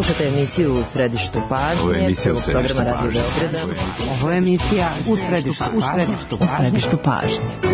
Slušate emisiju U središtu pažnje, programa Radio Beograda. Ovo je emisija U središtu pažnje.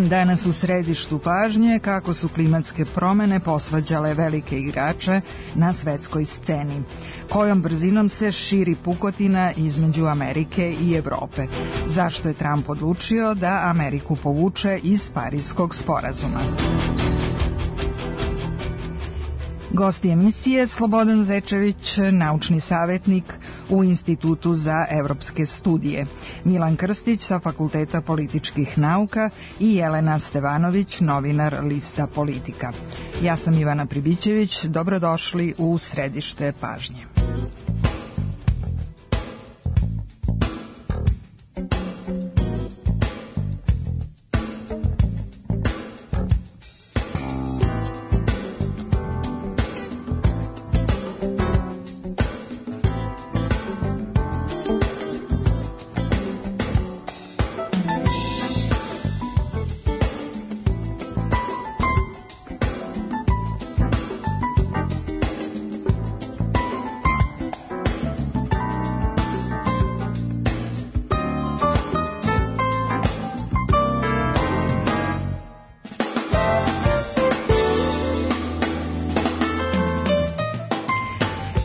Danas u središtu pažnje kako su klimatske promene posvađale velike igrače na svetskoj sceni. Kojom brzinom se širi pukotina između Amerike i Evrope? Zašto je Trump odlučio da Ameriku povuče iz Pariskog sporazuma? Gosti emisije Slobodan Zečević, naučni savjetnik u Institutu za evropske studije, Milan Krstić sa Fakulteta političkih nauka i Jelena Stevanović, novinar lista Politika. Ja sam Ivana Pribićević, dobrodošli u središte pažnje.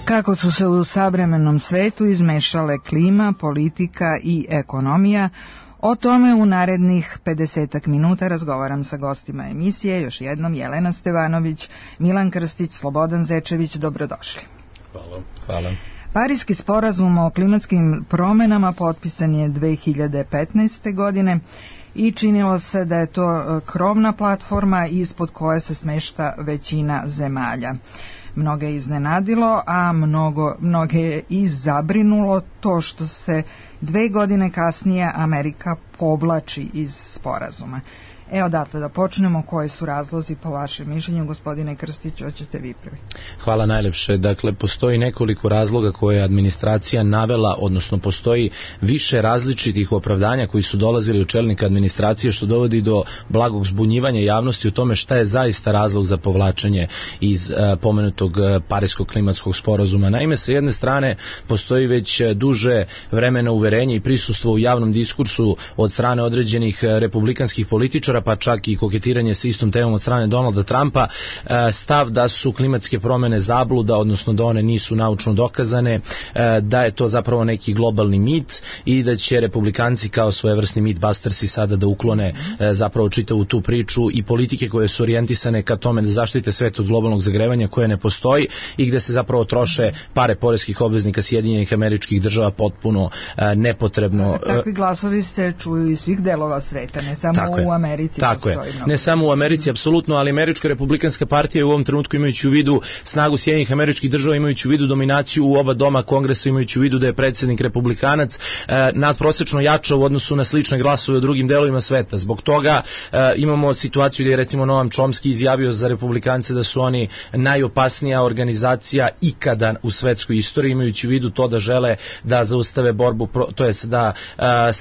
Kako su se u savremenom svetu izmešale klima, politika i ekonomija, o tome u narednih 50 minuta razgovaram sa gostima emisije, još jednom Jelena Stevanović, Milan Krstić, Slobodan Zečević, dobrodošli. Hvala. Pariski sporazum o klimatskim promenama potpisan je 2015. godine i činilo se da je to krovna platforma ispod koje se smešta većina zemalja. Mnoge je iznenadilo, a mnoge je i zabrinulo to što se 2 godine kasnije Amerika povlači iz sporazuma. Odatle da počnemo, koji su razlozi po vašem mišljenju, gospodine Krstić, hoćete vi prvi? Hvala najlepše. Dakle, postoji nekoliko razloga koje je administracija navela, odnosno postoji više različitih opravdanja koji su dolazili od čelnika administracije, što dovodi do blagog zbunjivanja javnosti o tome šta je zaista razlog za povlačenje iz pomenutog Pariskog klimatskog sporazuma. Naime, sa jedne strane postoji već duže vremena uverenje i prisustvo u javnom diskursu od strane određenih republikanskih političara, pa čak i koketiranje sa istom temom od strane Donalda Trumpa, stav da su klimatske promene zabluda, odnosno da one nisu naučno dokazane, da je to zapravo neki globalni mit i da će republikanci kao svojevrsni mythbustersi sada da uklone zapravo čitavu tu priču i politike koje su orijentisane ka tome da zaštite svet od globalnog zagrevanja koje ne postoji i gde se zapravo troše pare poreskih obveznika Sjedinjenih Američkih Država potpuno nepotrebno. Takvi glasovi se čuju iz svih delova sveta, ne samo u Americi. Tako je, ne samo u Americi, apsolutno, ali Američka republikanska partija u ovom trenutku, imajući u vidu snagu Sjedinjenih Američkih Država, imajući u vidu dominaciju u oba doma Kongresa, imajući u vidu da je predsjednik republikanac, nadprosečno jača u odnosu na slične glasove u drugim delovima sveta. Zbog toga imamo situaciju gdje je recimo Noam Chomsky izjavio za republikance da su oni najopasnija organizacija ikada u svetskoj istoriji, imajući u vidu to da žele da zaustave borbu, to jest da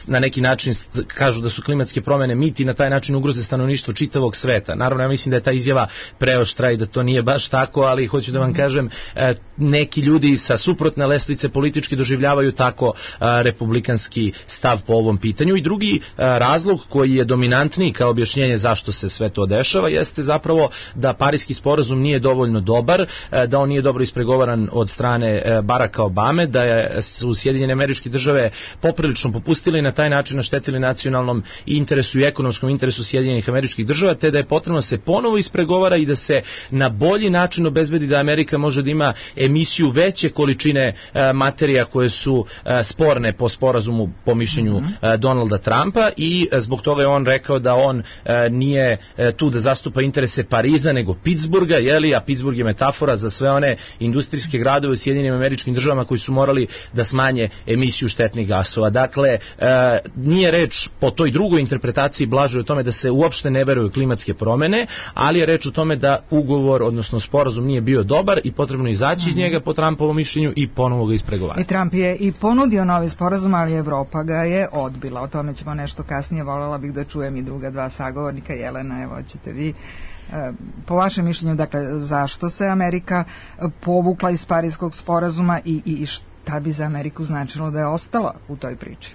na neki način kažu da su klimatske promene mit i na taj način ugroze stanovništvo čitavog sveta. Naravno, ja mislim da je ta izjava preoštra i da to nije baš tako, ali hoću da vam kažem, neki ljudi sa suprotne lestvice politički doživljavaju tako republikanski stav po ovom pitanju. I drugi razlog koji je dominantniji kao objašnjenje zašto se sve to dešava jeste zapravo da Pariski sporazum nije dovoljno dobar, da on nije dobro ispregovaran od strane Baracka Obame, da su Sjedinjene Američke Države poprilično popustili i na taj način naštetili nacionalnom interesu i ekonomskom interesu Sjedinjenih Američkih Država, te da je potrebno se ponovo ispregovara i da se na bolji način obezbedi da Amerika može da ima emisiju veće količine materija koje su sporne po sporazumu po mišljenju Donalda Trumpa, i zbog toga je on rekao da on nije tu da zastupa interese Pariza nego Pittsburgha, a Pittsburgh je metafora za sve one industrijske gradove u Sjedinjenim Američkim Državama koji su morali da smanje emisiju štetnih gasova. Dakle, nije reč po toj drugoj interpretaciji blaže o tome da se uopšte ne veruju klimatske promene, ali je reč o tome da ugovor, odnosno sporazum nije bio dobar i potrebno izaći iz njega po Trumpovom mišljenju i ponovo ga ispregovarati. I Trump je i ponudio novi sporazum, ali Evropa ga je odbila. O tome ćemo nešto kasnije, voljela bih da čujem i druga dva sagovornika. Jelena, evo ćete vi. Po vašem mišljenju, dakle, zašto se Amerika povukla iz Pariskog sporazuma i šta bi za Ameriku značilo da je ostala u toj priči?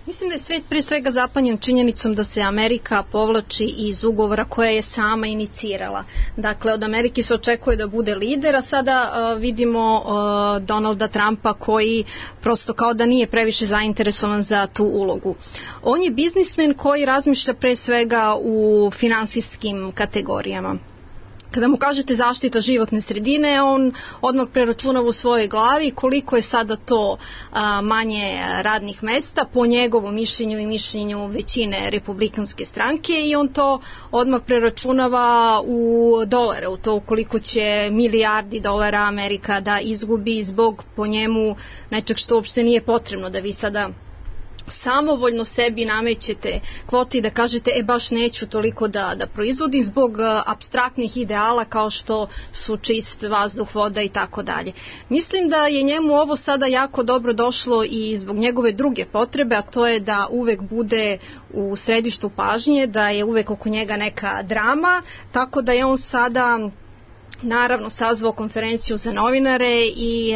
Mislim da je svet pre svega zapanjen činjenicom da se Amerika povlači iz ugovora koje je sama inicirala. Dakle, od Amerike se očekuje da bude lider, a sada vidimo Donalda Trumpa koji prosto kao da nije previše zainteresovan za tu ulogu. On je biznismen koji razmišlja pre svega u finansijskim kategorijama. Kada mu kažete zaštita životne sredine, on odmah preračunava u svojoj glavi koliko je sada to manje radnih mesta po njegovom mišljenju i mišljenju većine republikanske stranke, i on to odmah preračunava u dolare, u to koliko će milijardi dolara Amerika da izgubi zbog po njemu nečeg što uopšte nije potrebno, da vi sada samovoljno sebi namećete kvote i da kažete baš neću toliko da proizvodim zbog apstraktnih ideala kao što su čist vazduh, voda i tako dalje. Mislim da je njemu ovo sada jako dobro došlo i zbog njegove druge potrebe, a to je da uvek bude u središtu pažnje, da je uvek oko njega neka drama, tako da je on sada naravno sazvao konferenciju za novinare i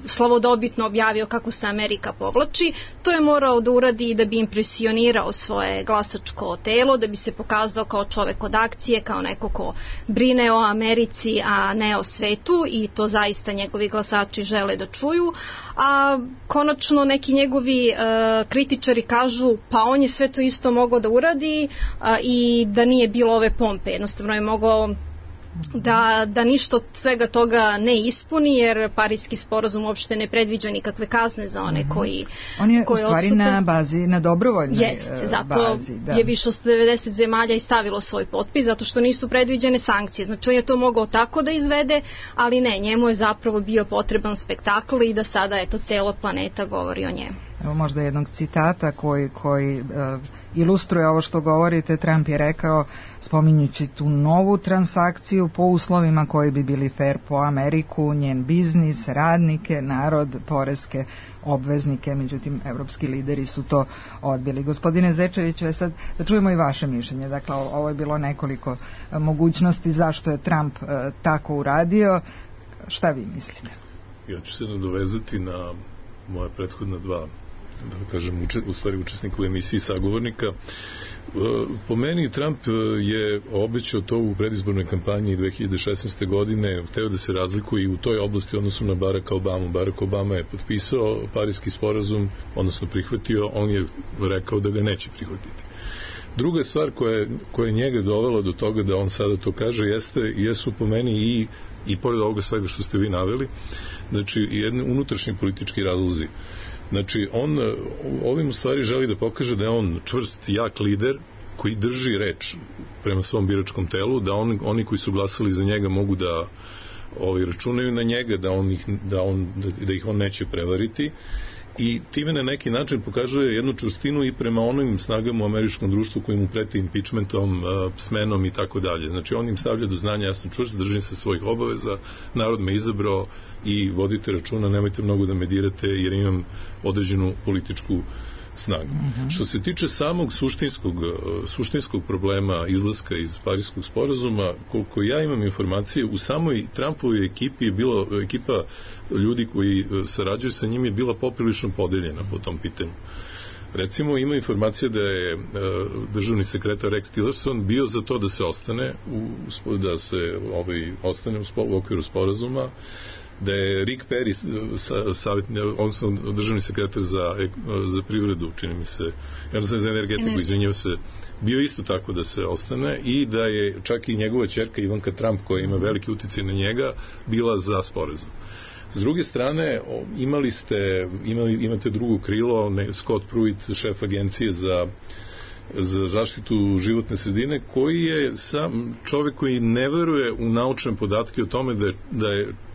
slavodobitno objavio kako se Amerika povlači. To je morao da uradi da bi impresionirao svoje glasačko telo, da bi se pokazao kao čovek od akcije, kao neko ko brine o Americi, a ne o svetu, i to zaista njegovi glasači žele da čuju. A konačno neki njegovi kritičari kažu pa on je sve to isto mogao da uradi i da nije bilo ove pompe. Jednostavno je mogao da ništa od svega toga ne ispuni, jer Pariski sporazum uopšte ne predviđa nikakve kazne za one koji on je u stvari na bazi, na dobrovoljnoj bazi. Zato je više od 90 zemalja i stavilo svoj potpis, zato što nisu predviđene sankcije. Znači on je to mogao tako da izvede, ali ne, njemu je zapravo bio potreban spektakl i da sada cela planeta govori o njemu. Evo možda jednog citata koji ilustruje ovo što govorite. Trump je rekao, spominjući tu novu transakciju po uslovima koji bi bili fair po Ameriku, njen biznis, radnike, narod, poreske obveznike, međutim evropski lideri su to odbili. Gospodine Zečeviću, sad da čujemo i vaše mišljenje. Dakle, ovo je bilo nekoliko mogućnosti zašto je Trump tako uradio. Šta vi mislite? Ja ću se nadovezati na moja prethodna dva, da kažem, u stvari učesnika u emisiji sagovornika. Po meni Trump je obećao to u predizbornoj kampanji 2016. godine, hteo da se razlikuje i u toj oblasti odnosu na Baracka Obama. Barack Obama je potpisao Pariski sporazum, odnosno prihvatio, on je rekao da ga neće prihvatiti. Druga stvar koja je njega dovela do toga da on sada to kaže jesu po meni i pored ovoga svega što ste vi naveli, znači jedni unutrašnji politički razlozi. Znači on ovim u stvari želi da pokaže da je on čvrst, jak lider koji drži reč prema svom biračkom telu, da oni koji su glasali za njega mogu da računaju na njega, da ih on neće prevariti, i time na neki način pokazuje jednu čvrstinu i prema onim snagama u američkom društvu koji mu preti impeachmentom, smenom i tako dalje. Znači on im stavlja do znanja, ja sam čvrst, držim se svojih obaveza, narod me izabrao i vodite računa, nemojte mnogo da me dirate jer imam određenu političku snaga. Što se tiče samog suštinskog problema izlaska iz Pariskog sporazuma, koliko ja imam informacije, u samoj Trumpovoj ekipi je bilo, ekipa ljudi koji sarađuju sa njim je bila poprilično podeljena po tom pitanju. Recimo, ima informacija da je državni sekretar Rex Tillerson bio za to da se ostane ostane u okviru sporazuma, da je Rick Perry, odnosno državni sekretar za privredu, čini mi se, jednostavno za energetiku, izvinjava se, bio isto tako da se ostane i da je čak i njegova ćerka Ivanka Trump, koja ima veliki uticaj na njega, bila za sporazum. S druge strane, imate drugo krilo, Scott Pruitt, šef agencije za zaštitu životne sredine, koji je sam čovjek koji ne veruje u naučne podatke o tome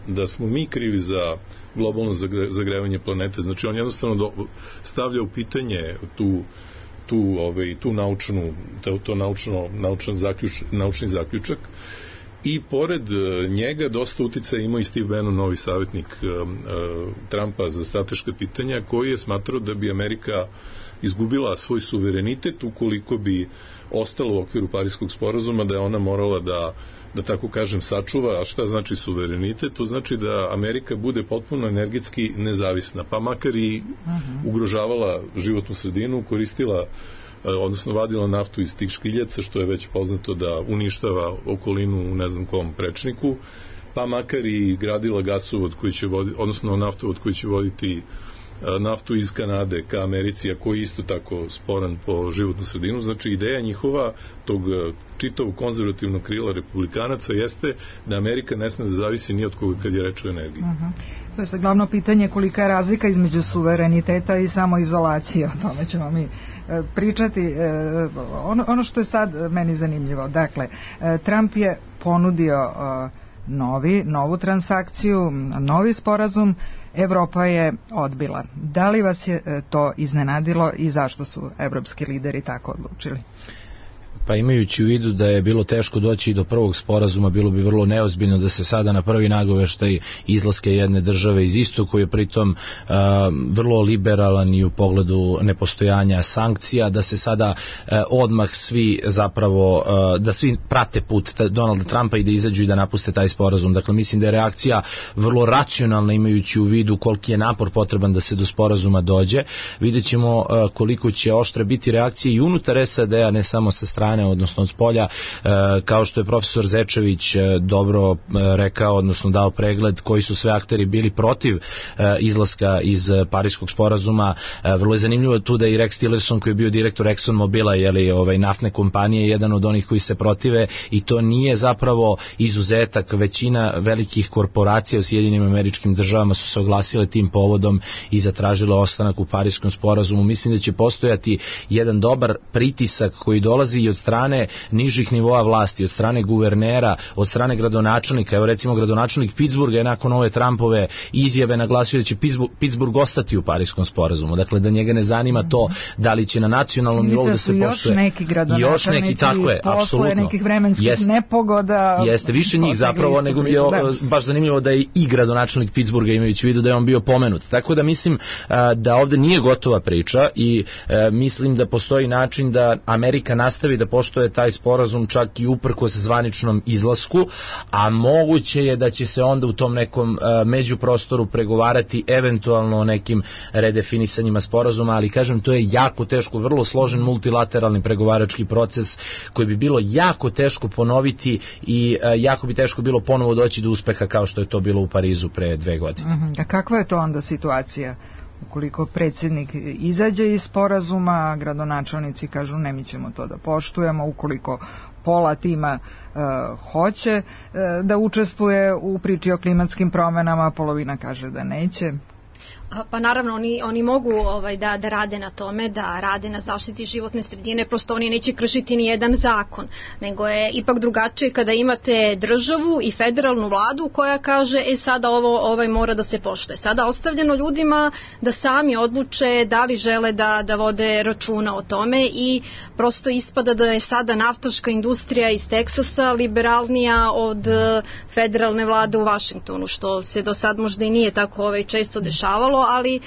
da smo mi krivi za globalno zagrevanje planete. Znači, on jednostavno stavlja u pitanje naučni zaključak. I pored njega dosta uticaja imao i Steve Bannon, novi savjetnik Trumpa za strateška pitanja, koji je smatrao da bi Amerika izgubila svoj suverenitet ukoliko bi ostalo u okviru Pariskog sporazuma, da je ona morala da tako kažem sačuva. A šta znači suverenitet? To znači da Amerika bude potpuno energetski nezavisna, pa makar i ugrožavala životnu sredinu, koristila, odnosno vadila naftu iz tih škriljaca, što je već poznato da uništava okolinu u ne znam kom prečniku, pa makar i gradila gasovod koji će voditi, odnosno naftovod koji će voditi naftu iz Kanade ka Americi, a koji je isto tako sporan po životnu sredinu. Znači, ideja njihova, tog čitavog konzervativnog krila republikanaca, jeste da Amerika ne sme da zavisi ni od koga kad je reč o energiji. To je sad glavno pitanje, kolika je razlika između suvereniteta i samoizolacije. O tome ćemo mi pričati. Ono što je sad meni zanimljivo, dakle, Trump je ponudio novu transakciju, novi sporazum, Evropa je odbila. Da li vas je to iznenadilo i zašto su evropski lideri tako odlučili? Pa imajući u vidu da je bilo teško doći do prvog sporazuma, bilo bi vrlo neozbiljno da se sada na prvi nagoveštaj izlaske jedne države iz istoku, je pritom vrlo liberalan i u pogledu nepostojanja sankcija, da se sada odmah svi zapravo, da svi prate put Donalda Trumpa i da izađu i da napuste taj sporazum. Dakle, mislim da je reakcija vrlo racionalna, imajući u vidu koliki je napor potreban da se do sporazuma dođe. Vidjet ćemo koliko će oštre biti reakcije i unutar SAD-a, ne samo sa strane, odnosno od spolja, kao što je profesor Zečević dobro rekao, odnosno dao pregled koji su sve akteri bili protiv izlaska iz Pariskog sporazuma. Vrlo je zanimljivo tu da i Rex Tillerson, koji je bio direktor Exxon Mobila, naftne kompanije, jedan od onih koji se protive, i to nije zapravo izuzetak. Većina velikih korporacija u Sjedinjenim Američkim Državama su se oglasile tim povodom i zatražile ostanak u Pariskom sporazumu. Mislim da će postojati jedan dobar pritisak koji dolazi i od strane nižih nivoa vlasti, od strane guvernera, od strane gradonačelnika. Evo, recimo, gradonačelnik Pittsburgha je nakon ove Trumpove izjave naglasio da će Pittsburgh ostati u Pariskom sporazumu. Dakle, da njega ne zanima to da li će na nacionalnom nivou da se poštuje. Još neki gradonačelnici posle nekih vremenskih nepogoda. Jeste, više njih zapravo, nego je baš zanimljivo da je i gradonačelnik Pittsburgha, imajući u vidu da je on bio pomenut. Tako da mislim da ovde nije gotova priča i mislim da postoji način da Amerika nastavi da poštuje taj sporazum čak i uprkos zvaničnom izlasku, a moguće je da će se onda u tom nekom međuprostoru pregovarati eventualno o nekim redefinisanjima sporazuma, ali kažem, to je jako teško, vrlo složen multilateralni pregovarački proces koji bi bilo jako teško ponoviti i jako bi teško bilo ponovo doći do uspeha kao što je to bilo u Parizu pre 2 godine. A kakva je to onda situacija? Ukoliko predsjednik izađe iz sporazuma, gradonačelnici kažu ne, mi ćemo to da poštujemo, ukoliko pola tima hoće da učestvuje u priči o klimatskim promenama, polovina kaže da neće. Pa naravno, oni mogu da rade na tome, da rade na zaštiti životne sredine, prosto oni neće kršiti ni jedan zakon, nego je ipak drugačije kada imate državu i federalnu vladu koja kaže sada ovo mora da se poštuje. Sada ostavljeno ljudima da sami odluče da li žele da vode računa o tome i prosto ispada da je sada naftaška industrija iz Teksasa liberalnija od federalne vlade u Vašingtonu, što se do sad možda i nije tako često dešavalo. dešavalo, ali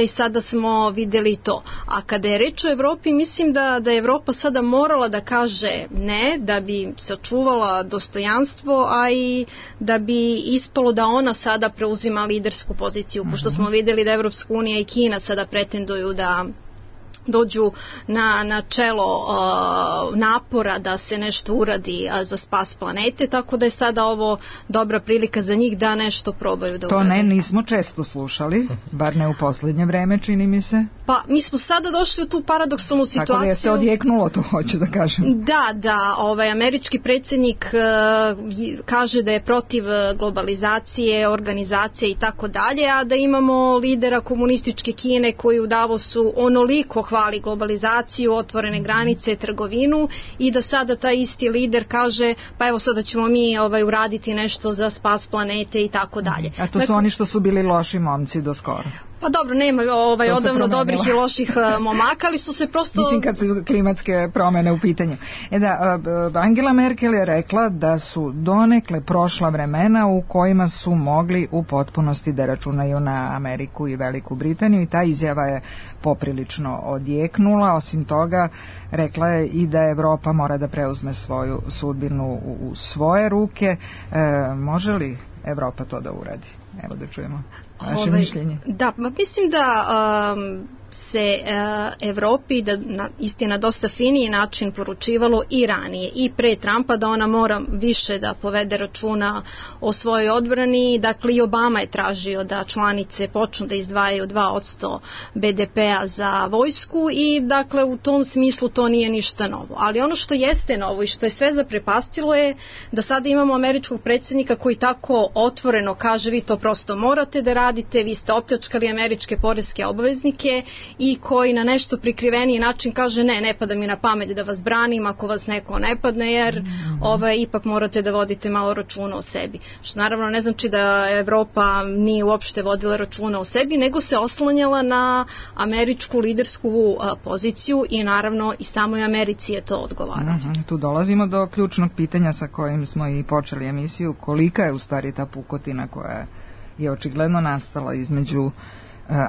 sada smo videli to. A kada je reč o Evropi, mislim da je Evropa sada morala da kaže ne, da bi sačuvala dostojanstvo, a i da bi ispalo da ona sada preuzima lidersku poziciju, pošto smo videli da Evropska unija i Kina sada pretenduju da dođu na čelo napora da se nešto uradi za spas planete, tako da je sada ovo dobra prilika za njih da nešto probaju da urade. To nismo često slušali, bar ne u poslednje vreme, čini mi se. Pa mi smo sada došli u tu paradoksalnu situaciju. Tako da je se odjeknulo, to hoću da kažem. Da, američki predsjednik kaže da je protiv globalizacije, organizacije i tako dalje, a da imamo lidera komunističke Kine koji u Davosu onoliko hvali globalizaciju, otvorene granice, trgovinu, i da sada taj isti lider kaže pa evo sada ćemo mi uraditi nešto za spas planete i tako dalje. A to su oni što su bili loši momci do skoro. Pa dobro, nema odavno dobrih i loših momaka, ali su se prosto... Mislim kad su klimatske promene u pitanju. Angela Merkel je rekla da su donekle prošla vremena u kojima su mogli u potpunosti da računaju na Ameriku i Veliku Britaniju, i ta izjava je poprilično odjeknula. Osim toga, rekla je i da Evropa mora da preuzme svoju sudbinu u svoje ruke. Može li Evropa to da uradi? Evo da čujemo vaše mišljenje. Da, mislim da se Evropi na dosta finiji način poručivalo i ranije i pre Trumpa da ona mora više da povede računa o svojoj odbrani. Dakle, i Obama je tražio da članice počnu da izdvajaju 2% BDP-a za vojsku, i dakle u tom smislu to nije ništa novo. Ali ono što jeste novo i što je sve zaprepastilo je da sada imamo američkog predsjednika koji tako otvoreno kaže vi to prosto morate da radite, vi ste opljačkali američke poreske obveznike, i koji na nešto prikriveniji način kaže ne pada mi na pamet da vas branim ako vas neko ne padne, jer ipak morate da vodite malo računa o sebi. Što naravno ne znači da Evropa nije uopšte vodila računa o sebi, nego se oslanjala na američku lidersku poziciju, i naravno i samoj Americi je to odgovaralo. Tu dolazimo do ključnog pitanja sa kojim smo i počeli emisiju, kolika je u stvari ta pukotina koja je očigledno nastala između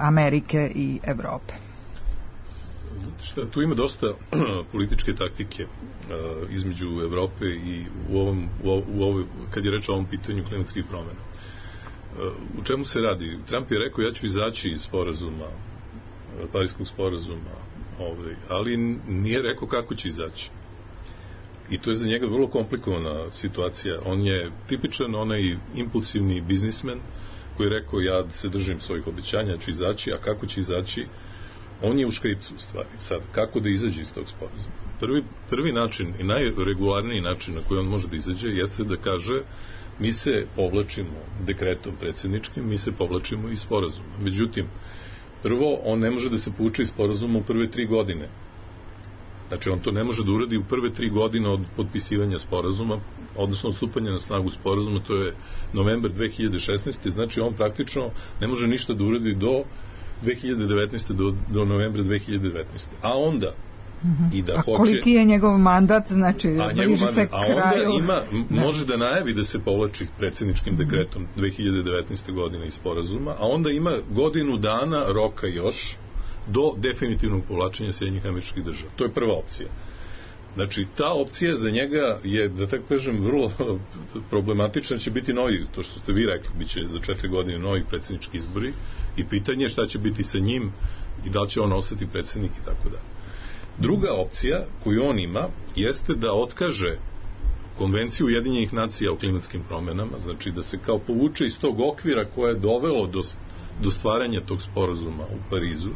Amerike i Evrope. Tu ima dosta političke taktike između Evrope i kad je reč o ovom pitanju klimatskih promjena. U čemu se radi? Trump je rekao ja ću izaći iz sporazuma, Pariskog sporazuma, ali nije rekao kako će izaći. I to je za njega vrlo komplikovana situacija. On je tipičan onaj impulsivni biznismen koji je rekao ja se držim svojih obećanja, ću izaći, a kako će izaći, on je u škripcu u stvari. Sad, kako da izađe iz tog sporazuma? Prvi način i najregularniji način na koji on može da izađe jeste da kaže mi se povlačimo dekretom predsjedničkim, mi se povlačimo iz sporazuma. Međutim, prvo, on ne može da se povuče iz sporazuma u prve 3 godine. Znači, on to ne može da uradi u prve 3 godine od potpisivanja sporazuma, odnosno od stupanja na snagu sporazuma, to je novembar 2016. Znači, on praktično ne može ništa da uradi do 2019. do novembra 2019. A onda i da hoće... A koliki je njegov mandat, znači bliže se kraju... A onda može da najavi da se povlači predsjedničkim dekretom 2019. godine iz sporazuma, a onda ima godinu dana roka još do definitivnog povlačenja Sjedinjenih Američkih Država. To je prva opcija. Znači, ta opcija za njega je, da tako kažem, vrlo problematična, će biti novi, to što ste vi rekli, bit će za 4 godine novi predsjednički izbori, i pitanje je šta će biti sa njim i da li će on ostati predsjednik i tako dalje. Druga opcija koju on ima jeste da otkaže Konvenciju Ujedinjenih nacija o klimatskim promjenama, znači da se kao povuče iz tog okvira koje je dovelo do stvaranja tog sporazuma u Parizu.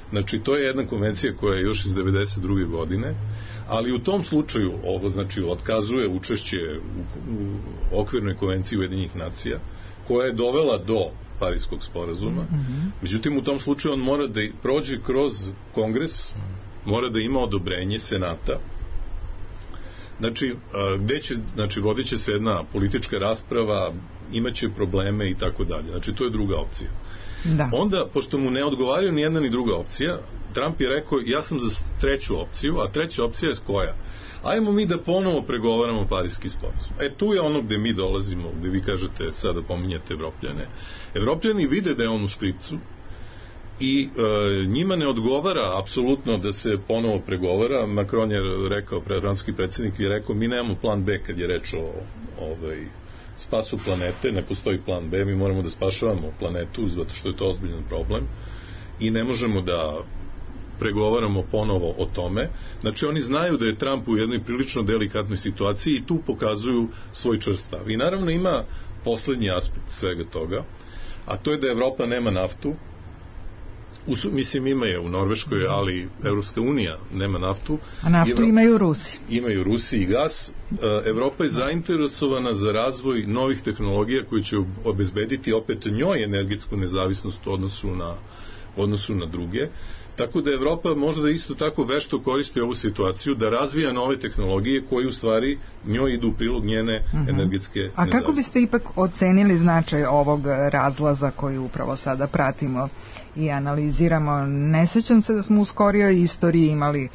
Znači, to je jedna konvencija koja je još iz 1992. godine, ali u tom slučaju ovo znači otkazuje učešće u okvirnoj konvenciji Ujedinjenih nacija koja je dovela do Pariskog sporazuma. Međutim, u tom slučaju on mora da prođe kroz Kongres, mora da ima odobrenje Senata. Znači, vodit će se jedna politička rasprava, imaće probleme i tako dalje. Znači, to je druga opcija. Da. Onda, pošto mu ne odgovaraju ni jedna ni druga opcija, Trump je rekao, ja sam za treću opciju, a treća opcija je koja? ajmo mi da ponovo pregovaramo Pariski sporazum. Tu je ono gde mi dolazimo, gde vi kažete, sada pominjate Evropljane. Evropljani vide da je on u škripcu i njima ne odgovara apsolutno da se ponovo pregovara. Macron je rekao, francuski predsjednik je rekao, mi nemamo plan B kad je reč o spasu planete, ne postoji plan B, mi moramo da spašavamo planetu zato što je to ozbiljan problem i ne možemo da pregovaramo ponovo o tome. Znači oni znaju da je Trump u jednoj prilično delikatnoj situaciji i tu pokazuju svoj čvrst stav. I naravno ima poslednji aspekt svega toga, a to je da Evropa nema naftu. Mislim, ima je u Norveškoj, ali Evropska unija nema naftu. A naftu imaju Rusi. Imaju Rusi i gas. Evropa je zainteresovana za razvoj novih tehnologija koji će obezbediti opet njoj energetsku nezavisnost u odnosu na druge. Tako da Evropa možda isto tako vešto koristi ovu situaciju da razvija nove tehnologije koje u stvari njoj idu u prilog njene energetske nezavisnosti. A kako biste ipak ocenili značaj ovog razlaza koji upravo sada pratimo i analiziramo? Ne sećam se da smo u skorijoj istoriji imali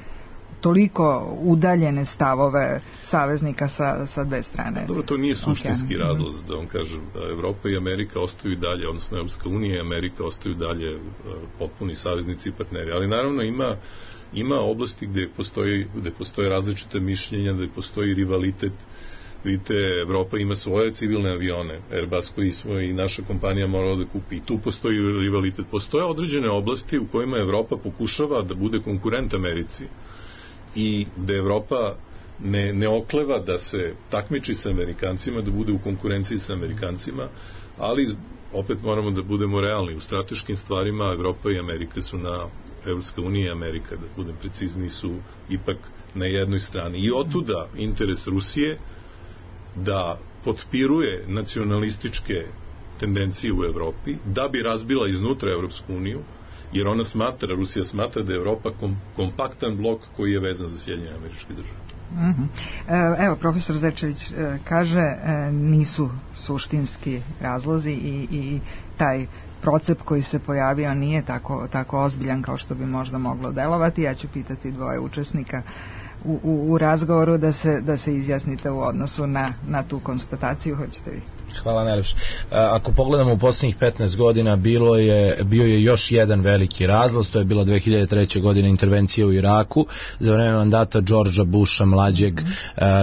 toliko udaljene stavove saveznika sa dve strane. Dobro, to nije suštinski razlaz, da vam kažem. Evropa i Amerika ostaju dalje, odnosno Evropska unija i Amerika ostaju dalje potpuni saveznici i partneri. Ali naravno ima oblasti gde postoje različite mišljenja, gde postoji rivalitet. Vidite, Evropa ima svoje civilne avione, Airbus koji i naša kompanija morala da kupi. I tu postoji rivalitet. Postoje određene oblasti u kojima Evropa pokušava da bude konkurent Americi i gde Evropa ne okleva da se takmiči sa Amerikancima, da bude u konkurenciji sa Amerikancima, ali opet moramo da budemo realni. U strateškim stvarima Evropa i Amerika su Evropska unija i Amerika, da budem precizniji, su ipak na jednoj strani. I otuda interes Rusije da potpiruje nacionalističke tendencije u Evropi, da bi razbila iznutra Evropsku uniju, jer Rusija smatra da je Evropa kompaktan blok koji je vezan za Sjedinjene Američke Države. Evo, profesor Zečević kaže, nisu suštinski razlozi i taj procep koji se pojavio nije tako ozbiljan kao što bi možda moglo delovati. Ja ću pitati dvoje učesnika u razgovoru da se izjasnite u odnosu na tu konstataciju. Hoćete vi? Hvala najlepše. Ako pogledamo u posljednjih 15 godina bio je još jedan veliki razlaz, to je bila 2003. godina intervencija u Iraku. Za vreme mandata Georgea Busha mlađeg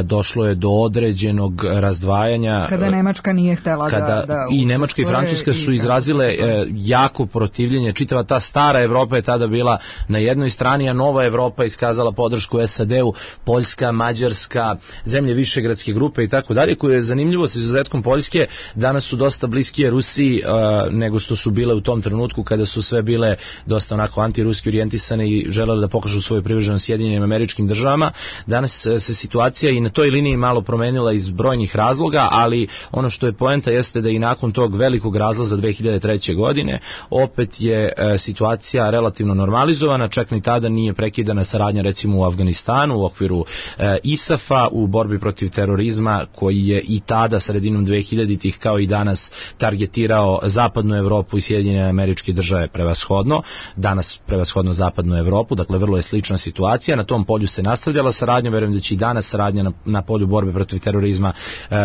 došlo je do određenog razdvajanja. Kada Nemačka nije htela da i Nemačka i Francuska su izrazile jako protivljenje. Čitava ta stara Evropa je tada bila na jednoj strani, a nova Evropa iskazala podršku SAD-u, Poljska, Mađarska, zemlje Višegradske grupe i tako dalje, koje je zanimljivo sa izuzetkom Poljske danas su dosta bliskije Rusiji nego što su bile u tom trenutku kada su sve bile dosta onako antiruski orijentisane i želele da pokažu svoju privrženost Sjedinjenim Američkim Državama. Danas se situacija i na toj liniji malo promenila iz brojnih razloga, ali ono što je poenta jeste da i nakon tog velikog razlaza 2003. godine opet je situacija relativno normalizovana, čak ni tada nije prekidana saradnja recimo u Afganistanu u okviru ISAF-a u borbi protiv terorizma koji je i tada sredinom 2000-ih kao i danas targetirao zapadnu Evropu i Sjedinjene Američke Države prevashodno, danas prevashodno zapadnu Evropu, dakle vrlo je slična situacija. Na tom polju se nastavljala saradnja, verujem da će i danas saradnja na polju borbe protiv terorizma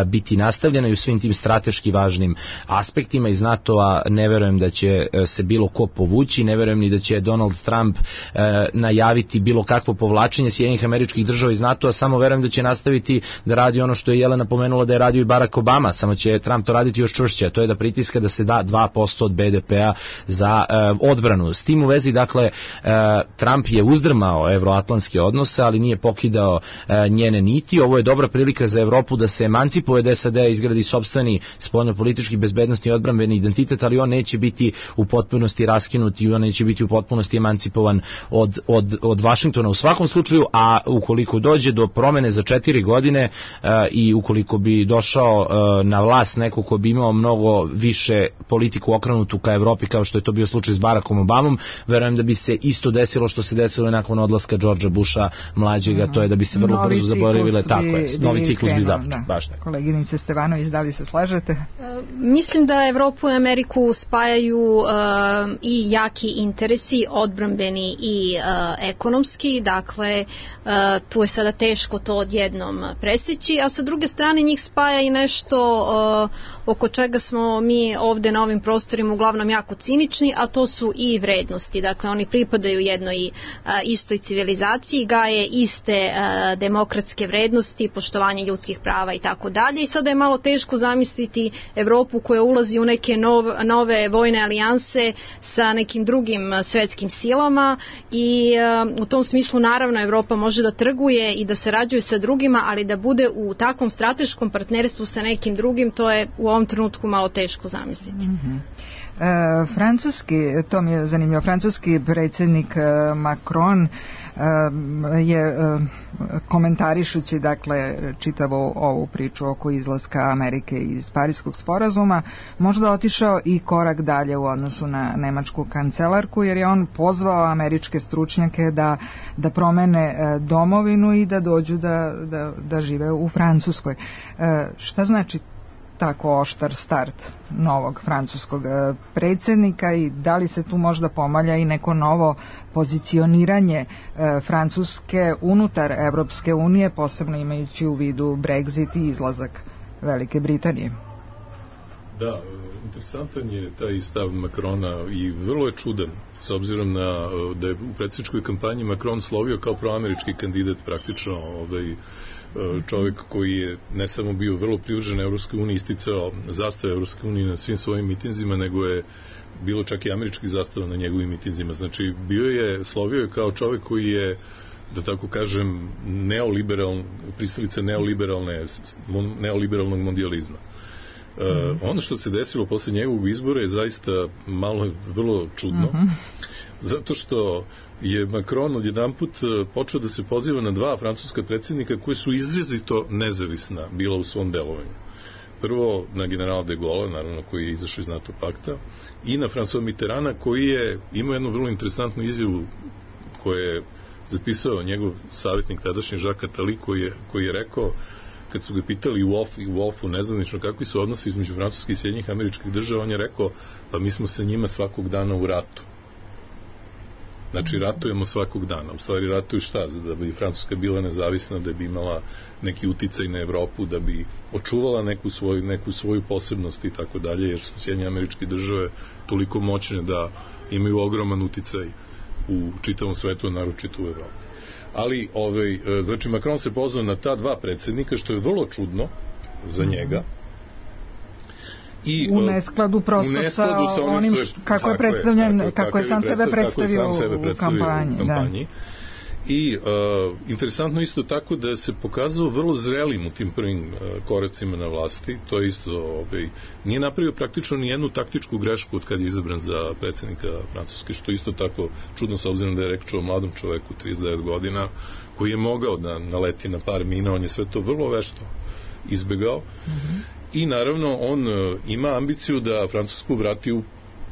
biti nastavljena i u svim tim strateški važnim aspektima. Iz NATO-a ne verujem da će se bilo ko povući, ne verujem ni da će Donald Trump najaviti bilo kakvo povlačenje Sjedinjenih Američkih Država iz NATO-a, samo verujem da će nastaviti da radi ono što je Jelena pomenula da je radio i Barack Obama, samo će Trump to raditi još čvršće, a to je da pritiska da se da 2% od BDP-a za odbranu. S tim u vezi, dakle, Trump je uzdrmao evroatlantske odnose, ali nije pokidao njene niti. Ovo je dobra prilika za Evropu da se emancipuje od SAD-a, izgradi sopstveni spoljnopolitički, bezbednosni i odbrambeni identitet, ali on neće biti u potpunosti raskinut i on neće biti u potpunosti emancipovan od Vašingtona u svakom slučaju, a ukoliko dođe do promene za 4 godine i ukoliko bi došao na vlast neko ko bi imao mnogo više politiku okrenutu ka Evropi kao što je to bio slučaj s Barackom Obamom, verujem da bi se isto desilo što se desilo nakon odlaska Georgea Busha mlađega, to je da bi se vrlo brzo zaboravile, tako je, novi ciklus bi započeo, baš tako. Koleginice Stevanović, da li se slažete? Mislim da Evropu i Ameriku spajaju i jaki interesi, odbrambeni i ekonomski, dakle tu je sada teško to odjednom preseći, a sa druge strane njih spaja i nešto oko čega smo mi ovde na ovim prostorima uglavnom jako cinični, a to su i vrednosti. Dakle, oni pripadaju jednoj istoj civilizaciji, gaje iste demokratske vrednosti, poštovanje ljudskih prava i tako dalje. I sada je malo teško zamisliti Evropu koja ulazi u neke nove vojne alijanse sa nekim drugim svetskim silama i u tom smislu naravno Evropa može da trguje i da sarađuje sa drugima, ali da bude u takvom strateškom partnerstvu sa nekim drugim, to je u ovom trenutku malo teško zamisliti. Francuski, to mi je zanimljivo, francuski predsjednik Macron je komentarišući dakle čitavu ovu priču oko izlaska Amerike iz Pariskog sporazuma možda otišao i korak dalje u odnosu na nemačku kancelarku, jer je on pozvao američke stručnjake da promene domovinu i da dođu da žive u Francuskoj. Šta znači tako oštar start novog francuskog predsjednika i da li se tu možda pomalja i neko novo pozicioniranje Francuske unutar Evropske unije, posebno imajući u vidu Brexit i izlazak Velike Britanije? Da, interesantan je taj stav Macrona i vrlo je čudan, s obzirom da je u predsjedničkoj kampanji Macron slovio kao proamerički kandidat, praktično čovjek koji je ne samo bio vrlo privržen Evropskoj uniji, isticao zastave Evropske unije na svim svojim mitinzima, nego je bilo čak i američkih zastava na njegovim mitinzima. Znači, slovio je kao čovjek koji je, da tako kažem, pristalica neoliberalnog mondializma. Ono što se desilo posle njegovog izbora je zaista vrlo čudno, zato što je Macron odjedanput počeo da se poziva na dva francuska predsjednika koji su izrazito nezavisna bila u svom delovanju. Prvo na generala de Gaulle, naravno, koji je izašao iz NATO pakta, i na François Mitterranda, koji je imao jednu vrlo interesantnu izjavu koju je zapisao njegov savjetnik tadašnji Jacques Attali, koji je rekao, kad su ga pitali u Wolfu nezvanično kakvi su odnosi između Francuske i Sjedinjenih Američkih Država, on je rekao, pa mi smo sa njima svakog dana u ratu. Znači, ratujemo svakog dana. U stvari, ratuju šta? Da bi Francuska bila nezavisna, da bi imala neki uticaj na Evropu, da bi očuvala neku svoju posebnost i tako dalje, jer su Sjedinjene Američke Države toliko moćne da imaju ogroman uticaj u čitavom svetu, naročito u Evropi. Ali, znači, Macron se pozvao na ta dva predsjednika, što je vrlo čudno za njega. U neskladu prosto sa onim kako je predstavljen, kako je sam sebe predstavio u kampanji. I interesantno isto tako da se pokazao vrlo zrelim u tim prvim koracima na vlasti. To je isto, nije napravio praktično ni jednu taktičku grešku od kad je izabran za predsjednika Francuske, što isto tako čudno, s obzirom da je reč o mladom čoveku 39 godina koji je mogao da naleti na par mina. On je sve to vrlo vešto izbegao. I naravno on ima ambiciju da Francusku vrati u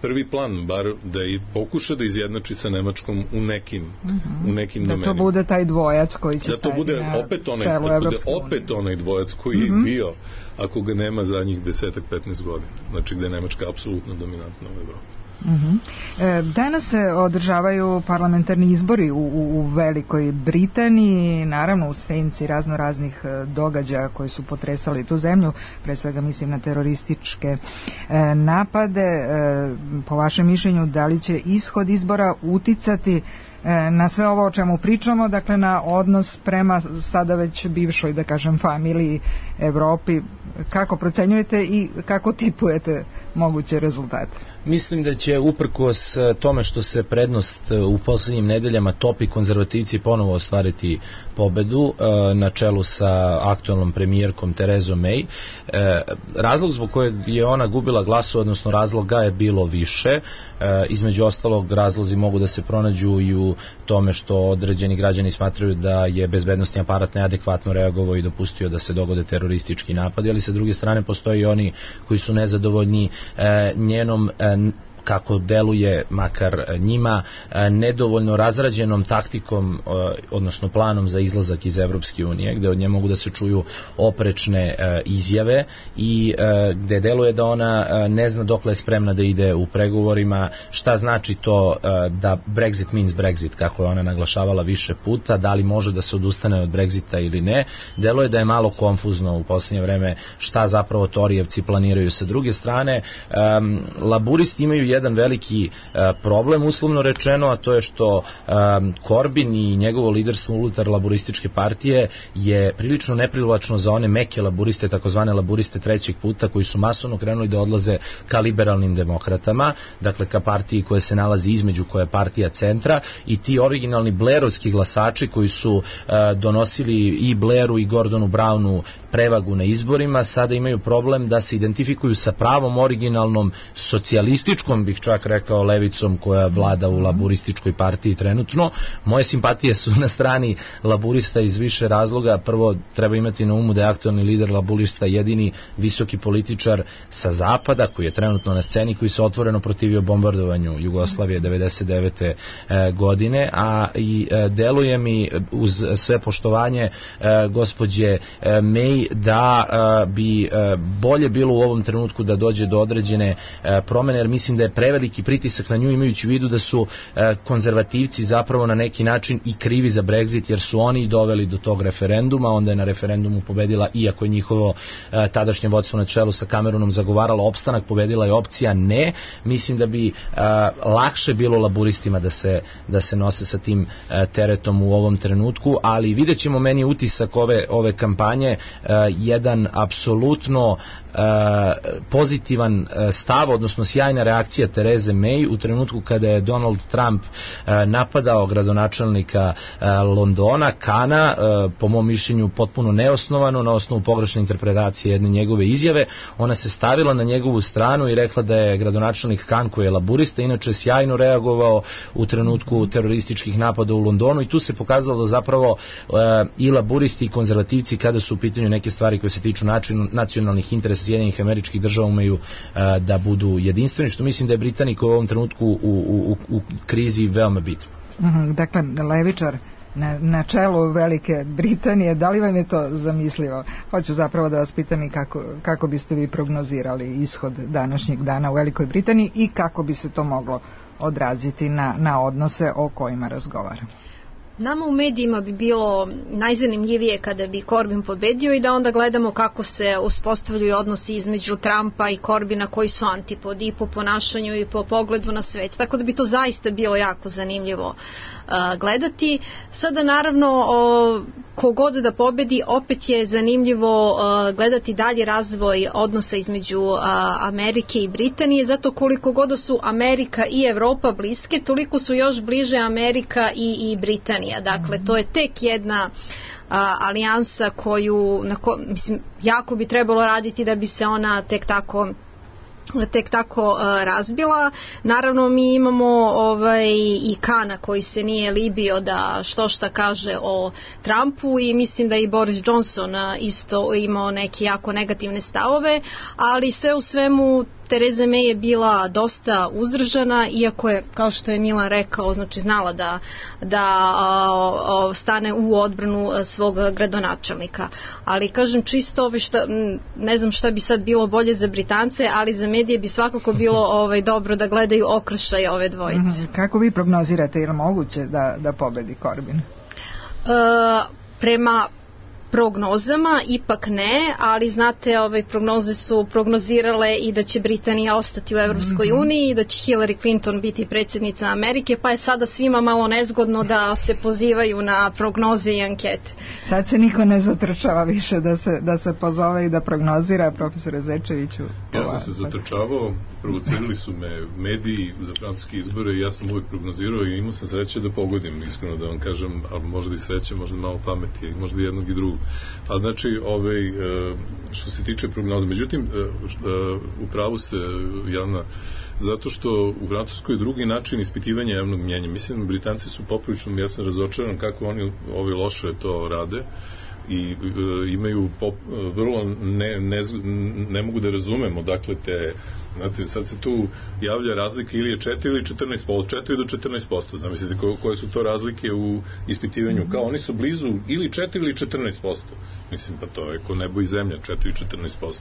prvi plan, bar da i pokuša da izjednači sa Nemačkom u nekim domenima. Da to bude taj dvojac koji će stajati na čelu Evropske unije. Opet onaj dvojac koji je bio, ako ga nema zadnjih 10-15 godina. Znači gde je Nemačka apsolutno dominantna u Evropi. Danas se održavaju parlamentarni izbori u Velikoj Britaniji, naravno u senci raznih događaja koji su potresali tu zemlju, pre svega mislim na terorističke napade. Po vašem mišljenju, da li će ishod izbora uticati na sve ovo o čemu pričamo, dakle na odnos prema sada već bivšoj, da kažem, familiji Evropi? Kako procenjujete i kako tipujete moguće rezultate? Mislim da će, uprkos tome što se prednost u poslednjim nedeljama topi, konzervativci ponovo ostvariti pobedu na čelu sa aktualnom premijerkom Terezom May. Razlog zbog kojeg je ona gubila glasu, odnosno razloga je bilo više. Između ostalog, razlozi mogu da se pronađu i u tome što određeni građani smatraju da je bezbednosni aparat neadekvatno reagovao i dopustio da se dogode teroristički napadi, ali sa druge strane postoji oni koji su nezadovoljni njenom kako deluje makar njima, nedovoljno razrađenom taktikom, odnosno planom za izlazak iz Evropske unije, gde od nje mogu da se čuju oprečne izjave i gde deluje da ona ne zna dokle je spremna da ide u pregovorima, šta znači to da Brexit means Brexit, kako je ona naglašavala više puta, da li može da se odustane od Brexita ili ne. Deluje da je malo konfuzno u posljednje vreme šta zapravo Torijevci planiraju. Sa druge strane, laburisti imaju jedan veliki problem, uslovno rečeno, a to je što Corbyn i njegovo liderstvo unutar laburističke partije je prilično neprivlačno za one meke laburiste, takozvane laburiste trećeg puta, koji su masovno krenuli da odlaze ka liberalnim demokratama, dakle ka partiji koja se nalazi između, koja je partija centra, i ti originalni Blairovski glasači koji su donosili i Blairu i Gordonu Brownu prevagu na izborima, sada imaju problem da se identifikuju sa pravom originalnom socijalističkom, bih čak rekao, levicom koja vlada u laburističkoj partiji trenutno. Moje simpatije su na strani laburista iz više razloga. Prvo, treba imati na umu da je aktualni lider laburista jedini visoki političar sa zapada koji je trenutno na sceni, koji se otvoreno protivio bombardovanju Jugoslavije 99. godine, a i deluje mi, uz sve poštovanje gospođe May, da bi bolje bilo u ovom trenutku da dođe do određene promene, jer mislim da je preveliki pritisak na nju, imajući u vidu da su konzervativci zapravo na neki način i krivi za Brexit, jer su oni doveli do tog referenduma. Onda je na referendumu pobedila, iako je njihovo tadašnje vodstvo na čelu sa Cameronom zagovaralo opstanak, pobedila je opcija ne. Mislim da bi lakše bilo laburistima da se nose sa tim teretom u ovom trenutku, ali vidjet ćemo. Meni utisak ove kampanje jedan apsolutno pozitivan stav, odnosno sjajna reakcija Tereze May u trenutku kada je Donald Trump napadao gradonačelnika Londona, Kana, po mom mišljenju potpuno neosnovano, na osnovu pogrešne interpretacije jedne njegove izjave. Ona se stavila na njegovu stranu i rekla da je gradonačelnik Kan, koji je laburista, inače sjajno reagovao u trenutku terorističkih napada u Londonu, i tu se pokazalo da zapravo i laburisti i konzervativci, kada su u pitanju neke stvari koje se tiču nacionalnih interesa Sjedinjenih Američkih Država, umeju da budu jedinstveni, što mislim da je Britaniji u ovom trenutku u krizi veoma bitno. Dakle, levičar na čelu Velike Britanije, da li vam je to zamislivo? Hoću zapravo da vas pitam i kako biste vi prognozirali ishod današnjeg dana u Velikoj Britaniji i kako bi se to moglo odraziti na odnose o kojima razgovaramo. Nama u medijima bi bilo najzanimljivije kada bi Corbyn pobedio i da onda gledamo kako se uspostavljaju odnosi između Trumpa i Corbyna, koji su antipodi i po ponašanju i po pogledu na svet. Tako da bi to zaista bilo jako zanimljivo gledati. Sada naravno kogod da pobedi, opet je zanimljivo gledati dalje razvoj odnosa između Amerike i Britanije, zato koliko god su Amerika i Evropa bliske, toliko su još bliže Amerika i Britanija. Dakle, to je tek jedna alijansa koju mislim, jako bi trebalo raditi da bi se ona tek tako razbila. Naravno, mi imamo i Kana koji se nije libio da šta kaže o Trumpu, i mislim da i Boris Johnson isto imao neke jako negativne stavove, ali sve u svemu Tereza May je bila dosta uzdržana, iako je, kao što je Milan rekao, znači znala da stane u odbranu svog gradonačelnika. Ali kažem, čisto ne znam šta bi sad bilo bolje za Britance, ali za medije bi svakako bilo dobro da gledaju okršaj ove dvojice. Kako vi prognozirate, je li moguće da pobedi Corbyn? Prema prognozama ipak ne, ali znate, prognoze su prognozirale i da će Britanija ostati u Evropskoj uniji i da će Hillary Clinton biti predsjednica Amerike, pa je sada svima malo nezgodno da se pozivaju na prognoze i ankete. Sad se niko ne zatrčava više da se pozove i da prognozira, profesore Zečeviću. Ja sam se zatrčavao, provocirali su me mediji za francuske izbore i ja sam uvijek prognozirao i imao sam sreće da pogodim, iskreno da vam kažem, ali možda i sreće, možda malo pameti, možda jednog i drugog. A znači, što se tiče prognoza, međutim, upravo ste, Jelena, zato što u Francuskoj je drugi način ispitivanja javnog mnjenja. Mislim, Britanci su poprilično, ja sam razočaran kako oni loše to rade i imaju vrlo ne mogu da razumemo, dakle, te Znate, sad se tu javlja razlika ili je 4 ili 14%, od 4 do 14%. Zamislite koje su to razlike u ispitivanju. Kao oni su blizu ili 4 ili 14%. Mislim, pa to je ko nebo i zemlja, 4 i 14%.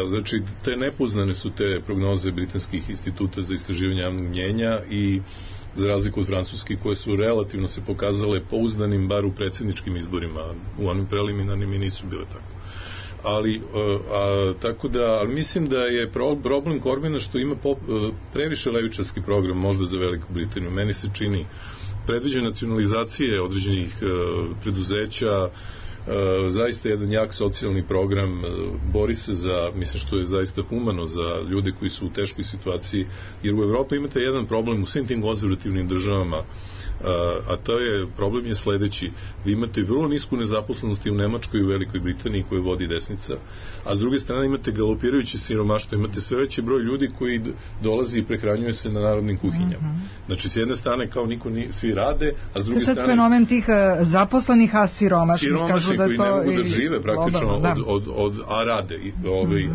Znači, te nepoznane su te prognoze britanskih instituta za istraživanje javnog mnjenja i za razliku od francuskih, koje su relativno se pokazale pouzdanim, bar u predsjedničkim izborima. U onim preliminarnim i nisu bile tako. Tako da, ali mislim da je problem Corbina što ima previše levičarski program možda za Veliku Britaniju. Meni se čini predviđa nacionalizacije određenih preduzeća, zaista jedan jak socijalni program, bori se za, mislim što je zaista humano za ljude koji su u teškoj situaciji, jer u Evropi imate jedan problem u svim tim konzervativnim državama, a to je, problem je sledeći: vi imate vrlo nisku nezaposlenost i u Nemačkoj i u Velikoj Britaniji koju vodi desnica, a s druge strane imate galopirajuće siromaštvo, imate sve veći broj ljudi koji dolazi i prehranjuje se na narodnim kuhinjama. Znači, s jedne strane kao svi rade, a s druge strane... To je sad fenomen tih zaposlenih, a siromašnih. Siromašni koji ne mogu da žive praktično a rade,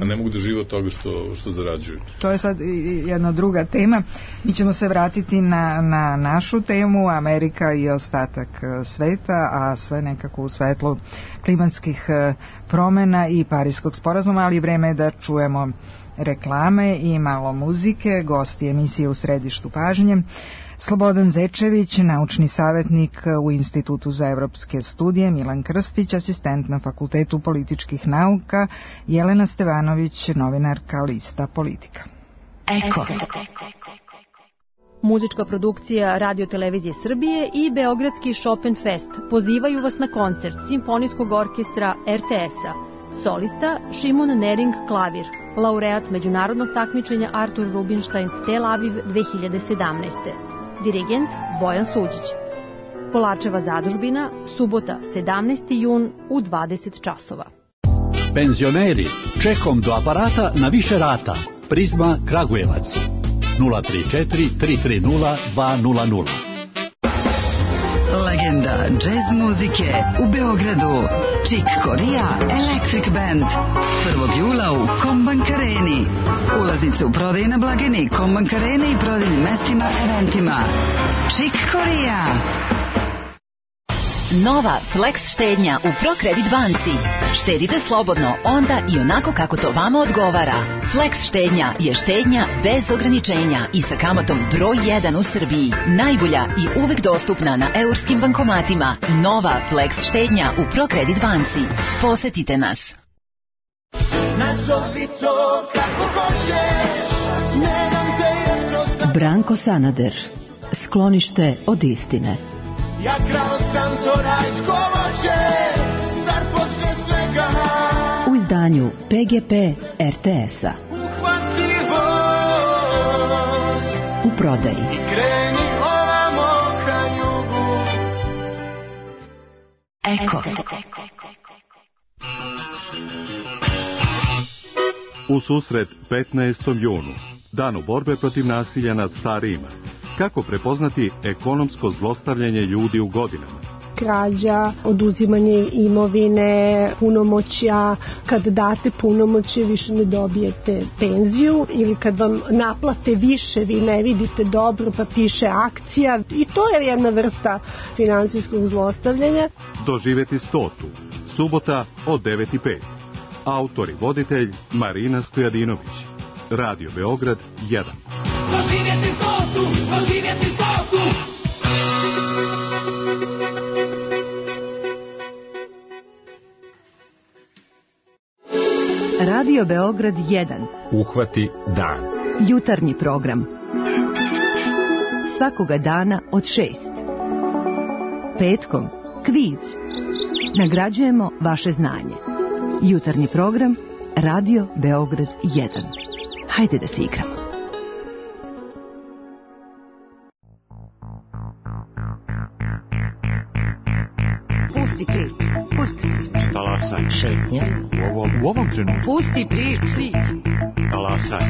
a ne mogu da žive od toga što zarađuju. To je sad jedna druga tema. Mi ćemo se vratiti na našu temu, Amerika i ostatak sveta, a sve nekako u svetlu klimatskih promena i Pariskog sporazuma, ali vreme je da čujemo reklame i malo muzike. Gosti emisije U središtu pažnje: Slobodan Zečević, naučni savjetnik u Institutu za evropske studije, Milan Krstić, asistent na Fakultetu političkih nauka, Jelena Stevanović, novinarka lista Politika. Eko. Muzička produkcija Radio Televizije Srbije i Beogradski Chopin Fest pozivaju vas na koncert Simfonijskog orkestra RTS-a. Solista Šimon Nering klavir, laureat međunarodnog takmičenja Artur Rubinstein Tel Aviv 2017. Dirigent Bojan Suđić. Polačeva zadužbina, subota 17. jun u 20 časova. Penzioneri, čekom do aparata na više rata. Prizma Kragujevac 034 330 200. Legenda džez muzike u Beogradu. Chick Corea Electric Band 1. jula u Kombank Areni. Ulaznice u prodaji na blagajni Kombank Arene i prodajnim mestima, eventima. Chick Corea. Nova Flex štednja u ProCredit banci. Štedite slobodno onda i onako kako to vama odgovara. Flex štednja je štednja bez ograničenja i sa kamatom broj 1 u Srbiji. Najbolja i uvek dostupna na eurskim bankomatima. Nova Flex štednja u ProCredit banci. Posetite nas. Nazovi to kako hoćeš, ne dam te jedno... Branko Sanader. Sklonište od istine. Ja krao sam to rajsko voće, zar posle svega u izdanju PGP RTS-a. Uhvati voz u prodaji i kreni ovamo ka jugu. Eko. U susret 15. junu, danu borbe protiv nasilja nad starijima. Kako prepoznati ekonomsko zlostavljanje ljudi u godinama? Krađa, oduzimanje imovine, punomoćja. Kad date punomoćje više ne dobijete penziju, ili kad vam naplate više vi ne vidite dobro pa piše akcija, i to je jedna vrsta finansijskog zlostavljanja. Doživjeti 100. Subota od 9:05. Autor i voditelj Marina Stojadinović. Radio Beograd 1. Doživjeti 100, doživjeti 100. Radio Beograd 1. Uhvati dan. Jutarnji program. Svakoga dana od 6. Petkom kviz. Nagrađujemo vaše znanje. Jutarnji program Radio Beograd 1. Hajde da se igramo. Pusti priču. Pusti priču. Talasaj. Šetnja. U ovom trenutku. Pusti priču. Talasaj.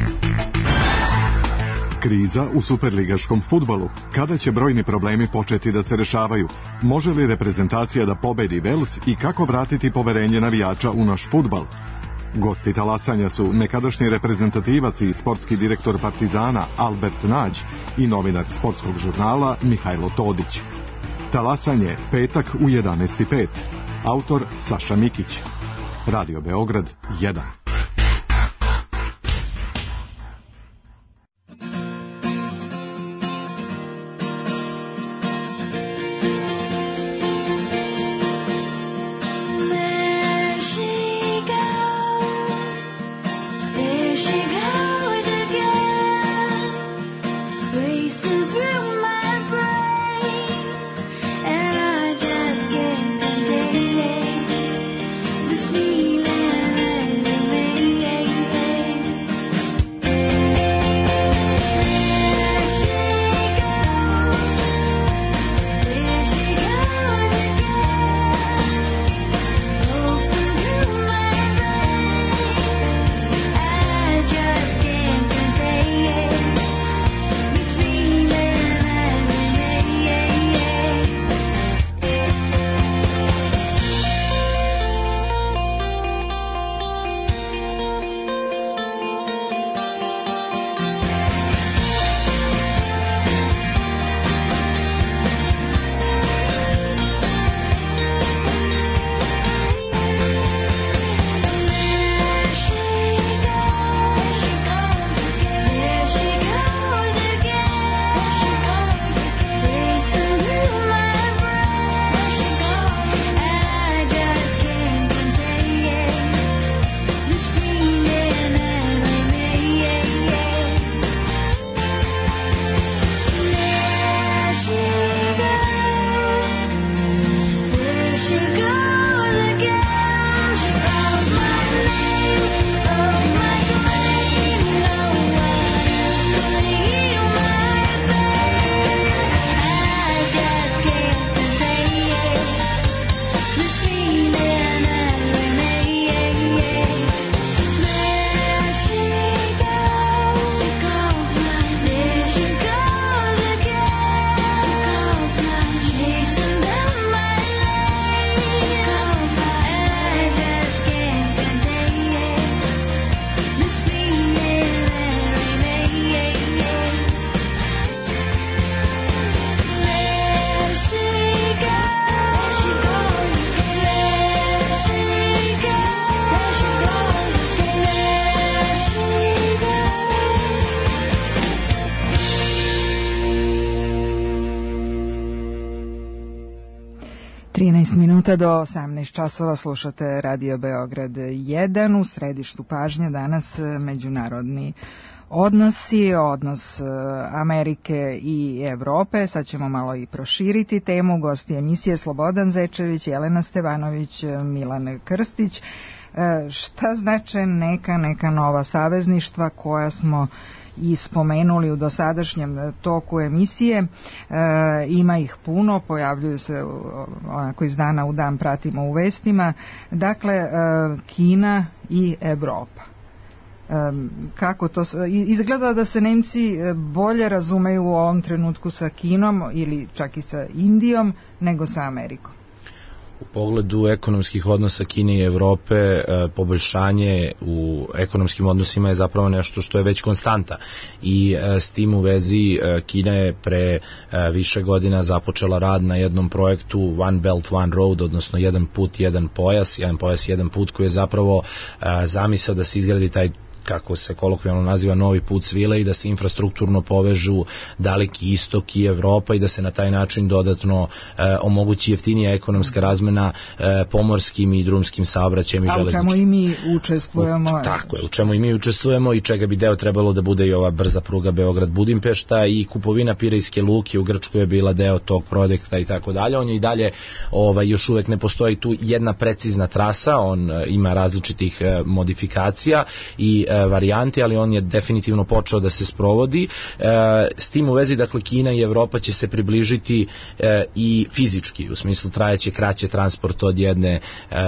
Kriza u superligaškom fudbalu. Kada će brojni problemi početi da se rešavaju? Može li reprezentacija da pobedi Vels i kako vratiti poverenje navijača u naš fudbal? Gosti talasanja su nekadašnji reprezentativac i sportski direktor Partizana Albert Nađ i novinar sportskog žurnala Mihajlo Todić. Talasanje, petak u 11:05. Autor Saša Mikić. Radio Beograd 1. Do 18 časova slušate Radio Beograd 1. U središtu pažnje danas međunarodni odnosi, odnos Amerike i Evrope. Sad ćemo malo i proširiti temu. Gosti emisije Slobodan Zečević, Jelena Stevanović, Milan Krstić. Šta znače neka nova savezništva koja smo i spomenuli u dosadašnjem toku emisije? Ima ih puno, pojavljuju se onako iz dana u dan, pratimo u vestima. Dakle, Kina i Evropa. Kako to izgleda da se Nemci bolje razumeju u ovom trenutku sa Kinom ili čak i sa Indijom nego sa Amerikom? U pogledu ekonomskih odnosa Kine i Evrope, poboljšanje u ekonomskim odnosima je zapravo nešto što je već konstanta i s tim u vezi Kina je pre više godina započela rad na jednom projektu One Belt, One Road, odnosno jedan put, jedan pojas, jedan put, koji je zapravo zamisao da se izgradi taj, kako se kolokvijalno naziva, novi put svile i da se infrastrukturno povežu Daleki istok i Evropa i da se na taj način dodatno omogući jeftinija ekonomska razmena pomorskim i drumskim saobraćajem i železničkim. A u čemu i mi učestvujemo? Tako je, u čemu i mi učestvujemo i čega bi deo trebalo da bude i ova brza pruga Beograd-Budimpešta i kupovina Pirejske luke u Grčkoj je bila deo tog projekta i tako dalje. On je i dalje, još uvek ne postoji tu jedna precizna trasa, on ima različitih modifikacija i varijanti, ali on je definitivno počeo da se sprovodi. S tim u vezi, dakle, Kina i Evropa će se približiti i fizički, u smislu trajeće kraće transport od jedne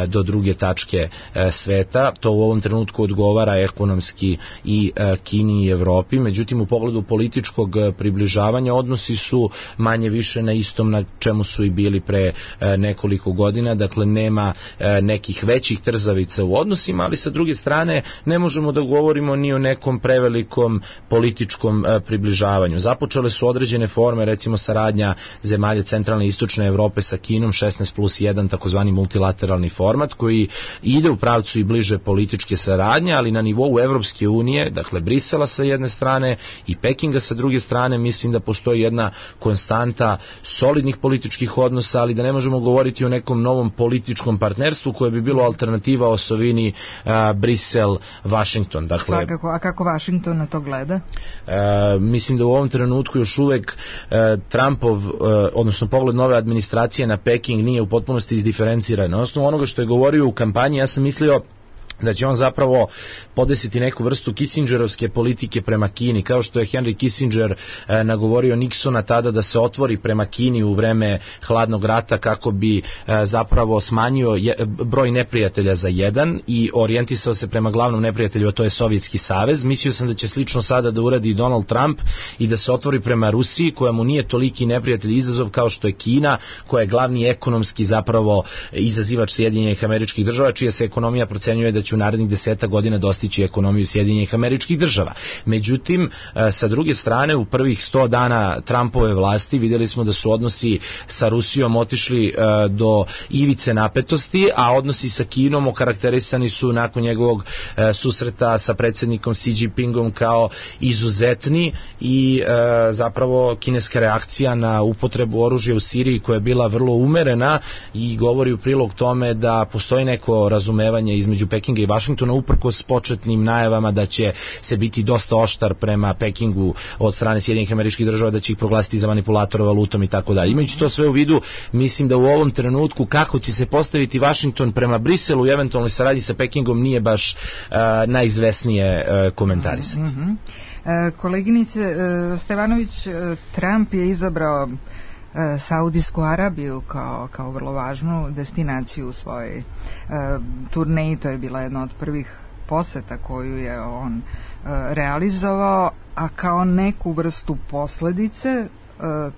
do druge tačke sveta. To u ovom trenutku odgovara ekonomski i Kini i Evropi, međutim u pogledu političkog približavanja odnosi su manje više na istom na čemu su i bili pre nekoliko godina, dakle nema nekih većih trzavica u odnosima, ali sa druge strane ne možemo da govorimo ni o nekom prevelikom političkom približavanju. Započele su određene forme, recimo saradnja zemalja centralne i istočne Evrope sa Kinom, 16+1, takozvani multilateralni format, koji ide u pravcu i bliže političke saradnje, ali na nivou Evropske unije, dakle Brisela sa jedne strane i Pekinga sa druge strane, mislim da postoji jedna konstanta solidnih političkih odnosa, ali da ne možemo govoriti o nekom novom političkom partnerstvu koje bi bilo alternativa osovini Brisel-Washington. Dakle, svakako, a kako Washington na to gleda? Mislim da u ovom trenutku još uvek Trumpov, odnosno pogled nove administracije na Peking nije u potpunosti izdiferenciran. Na osnovu onoga što je govorio u kampanji, ja sam mislio da će on zapravo podesiti neku vrstu Kissingerovske politike prema Kini, kao što je Henry Kissinger nagovorio Nixona tada da se otvori prema Kini u vreme hladnog rata kako bi zapravo smanjio broj neprijatelja za jedan i orijentisao se prema glavnom neprijatelju, a to je Sovjetski savez. Mislio sam da će slično sada da uradi Donald Trump i da se otvori prema Rusiji, koja mu nije toliki neprijatelj i izazov kao što je Kina, koja je glavni ekonomski zapravo izazivač Sjedinjenih Američkih Država, čija se ekonomija procenjuje da će u narednih 10 godina dostići ekonomiju Sjedinjenih Američkih Država. Međutim, sa druge strane, u prvih 100 dana Trumpove vlasti vidjeli smo da su odnosi sa Rusijom otišli do ivice napetosti, a odnosi sa Kinom okarakterisani su nakon njegovog susreta sa predsjednikom Xi Jinpingom kao izuzetni i zapravo kineska reakcija na upotrebu oružja u Siriji, koja je bila vrlo umerena i govori u prilog tome da postoji neko razumevanje između Pekinga i Vašingtona, uprkos početnim najavama da će se biti dosta oštar prema Pekingu od strane Sjedinjenih Američkih Država, da će ih proglasiti za manipulatora valutom i tako dalje. Imajući to sve u vidu, mislim da u ovom trenutku kako će se postaviti Vašington prema Briselu i eventualnoj saradnji sa Pekingom nije baš najizvesnije komentarisati. Koleginice Stevanović, Trump je izabrao Saudijsku Arabiju kao vrlo važnu destinaciju u svojoj turneji. To je bila jedna od prvih poseta koju je on realizovao, a kao neku vrstu posledice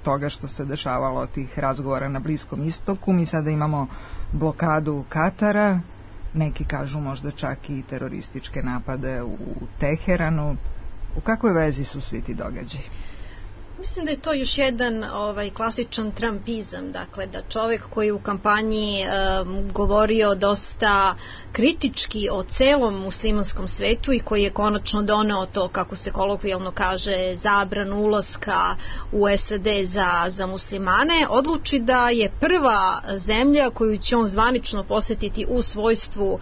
toga što se dešavalo tih razgovora na Bliskom istoku, mi sada imamo blokadu Katara, neki kažu možda čak i terorističke napade u Teheranu. U kakvoj vezi su svi ti događaji? Mislim da je to još jedan klasičan trumpizam, dakle da čovjek koji u kampanji govorio dosta kritički o celom muslimanskom svetu i koji je konačno doneo to, kako se kolokvijalno kaže, zabranu ulaska u SAD za muslimane, odluči da je prva zemlja koju će on zvanično posjetiti u svojstvu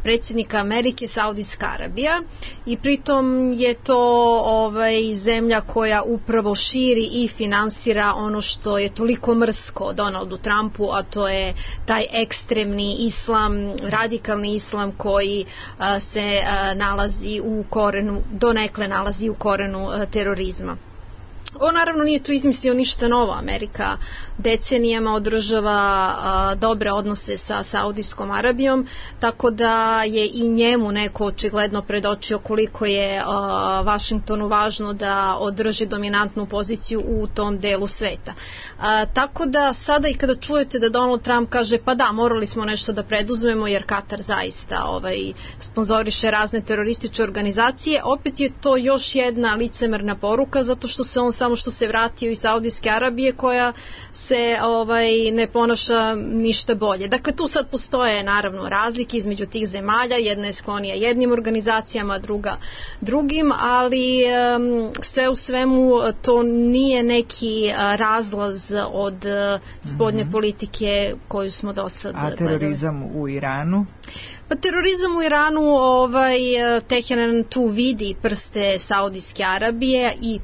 predsjednika Amerike Saudijska Arabija, i pritom je to zemlja koja upravo širi i finansira ono što je toliko mrsko Donaldu Trumpu, a to je taj ekstremni islam, radikalni islam koji se nalazi u korenu, donekle nalazi u korenu terorizma. On naravno nije tu izmislio ništa novo. Amerika decenijama održava dobre odnose sa Saudijskom Arabijom, tako da je i njemu neko očigledno predočio koliko je Vašingtonu važno da održi dominantnu poziciju u tom delu sveta. Tako da sada i kada čujete da Donald Trump kaže pa da, morali smo nešto da preduzmemo jer Katar zaista sponzoriše razne terorističke organizacije, opet je to još jedna licemerna poruka, zato što se on samo što se vratio iz Saudijske Arabije, koja se ne ponaša ništa bolje. Dakle, tu sad postoje naravno razlike između tih zemalja, jedna je sklonija jednim organizacijama, druga drugim, ali sve u svemu to nije neki razlaz od spoljne politike koju smo do sad gledali. A terorizam u Iranu? Pa terorizam u Iranu, Teheran tu vidi prste Saudijske Arabije i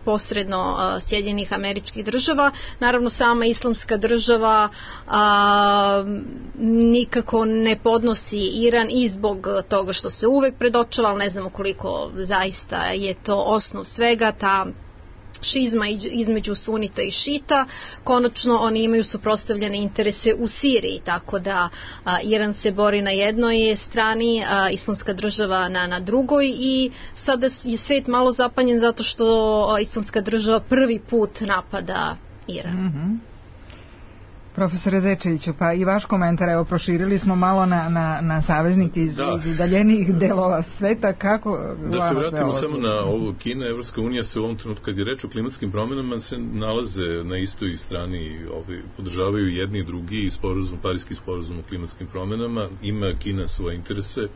posredno Sjedinjenih Američkih Država. Naravno, sama Islamska država nikako ne podnosi Iran i zbog toga što se uvek predočava, ali ne znamo koliko zaista je to osnov svega, ta šizma između sunita i šita. Konačno oni imaju suprotstavljene interese u Siriji, tako da Iran se bori na jednoj strani, Islamska država na drugoj, i sada je svet malo zapanjen zato što Islamska država prvi put napada Iran. Mm-hmm. Profesore Zečeviću, pa i vaš komentar, evo proširili smo malo na saveznike iz udaljenijih delova sveta, kako... Da se vratimo samo na ovo, Kina, Evropska unija se u ovom trenutku, kad je reč o klimatskim promjenama, se nalaze na istoj strani, podržavaju jedni i drugi Parijski sporazum o klimatskim promjenama, ima Kina svoje interese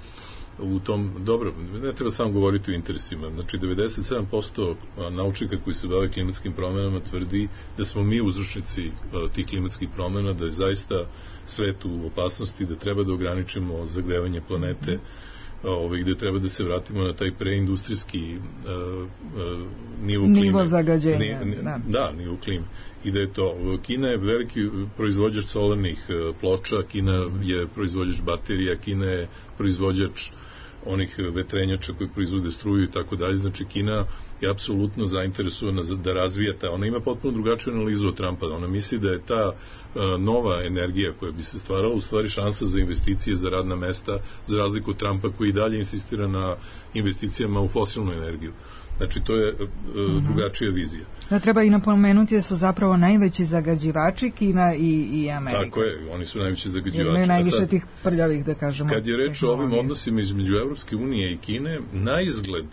u tom, dobro, ne treba samo govoriti o interesima, znači 97% naučnika koji se bave klimatskim promjenama tvrdi da smo mi uzročnici tih klimatskih promjena, da je zaista svet u opasnosti, da treba da ograničimo zagrevanje planete, gde treba da se vratimo na taj preindustrijski nivo klime. Nivo zagađenja. Nivo klime. I da je to, Kina je veliki proizvođač solarnih ploča, Kina je proizvođač baterija, Kina je proizvođač onih vetrenjača koji proizvode struju i tako dalje. Znači Kina je apsolutno zainteresovana da razvija ona ima potpuno drugačiju analizu od Trumpa. Ona misli da je ta nova energija koja bi se stvarala u stvari šansa za investicije, za radna mesta, za razliku od Trumpa koji dalje insistira na investicijama u fosilnu energiju. Znači, to je drugačija vizija. Da, treba i napomenuti da su zapravo najveći zagađivači Kina i Amerika. Tako je, oni su najveći zagađivači. Imaju najviše tih prljavih, da kažemo. Kad je reč o ovim odnosima između Evropske unije i Kine, na izgled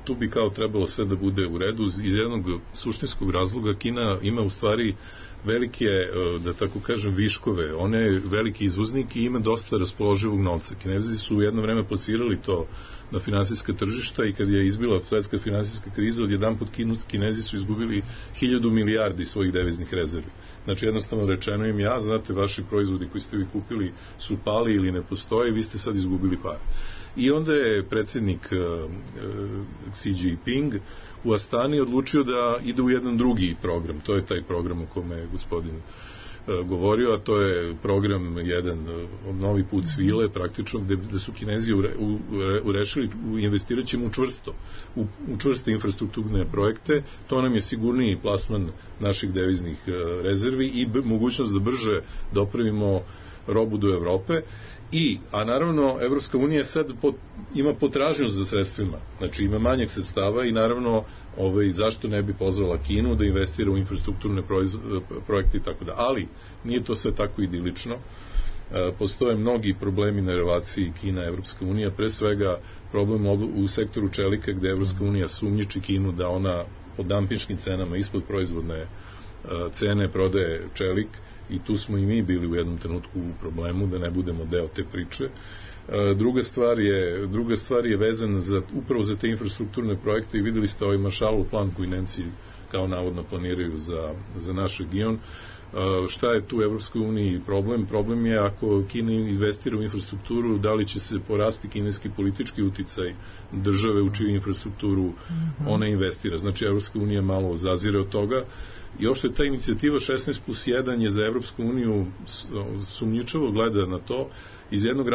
tu bi kao trebalo sve da bude u redu. Iz jednog suštinskog razloga Kina ima u stvari velike, da tako kažem, viškove. Ona je veliki izvoznik i ima dosta raspoloživog novca. Kinezi su u jedno vreme plasirali to na finansijska tržišta i kad je izbila svetska finansijska kriza, odjedanput Kinezi su izgubili 1000 milijardi svojih deviznih rezervi. Znači, jednostavno rečeno im, znate, vaši proizvodi koji ste vi kupili su pali ili ne postoje, vi ste sad izgubili pare. I onda je predsjednik Xi Jinping u Astani odlučio da ide u jedan drugi program. To je taj program o kome je gospodin govorio, a to je program jedan novi put svile, praktično, gde su Kinezi urešili, investirat ćemo u čvrste infrastrukturne projekte. To nam je sigurniji plasman naših deviznih rezervi i mogućnost da brže dopravimo robu do Evrope. A naravno, Evropska unija sad ima potražnju za sredstvima, znači ima manjeg sredstava i naravno zašto ne bi pozvala Kinu da investira u infrastrukturne projekte i tako da. Ali nije to sve tako idilično. Postoje mnogi problemi na relaciji Kina-Evropska unija, pre svega problem u sektoru čelika gde Evropska unija sumnjiči Kinu da ona po dampinškim cenama ispod proizvodne cene prodaje čelik, i tu smo i mi bili u jednom trenutku u problemu da ne budemo deo te priče. Druga stvar je vezana upravo za te infrastrukturne projekte i videli ste ovaj Marshallov plan koji Nemci kao navodno planiraju za naš region. Šta je tu u Evropskoj uniji problem? Problem je ako Kina investira u infrastrukturu, da li će se porasti kineski politički uticaj države u čiju infrastrukturu ona investira. Znači, Evropska unija malo zazire od toga. I ošto je ta inicijativa 16+1 je za Evropsku uniju sumnjičavo gleda na to iz jednog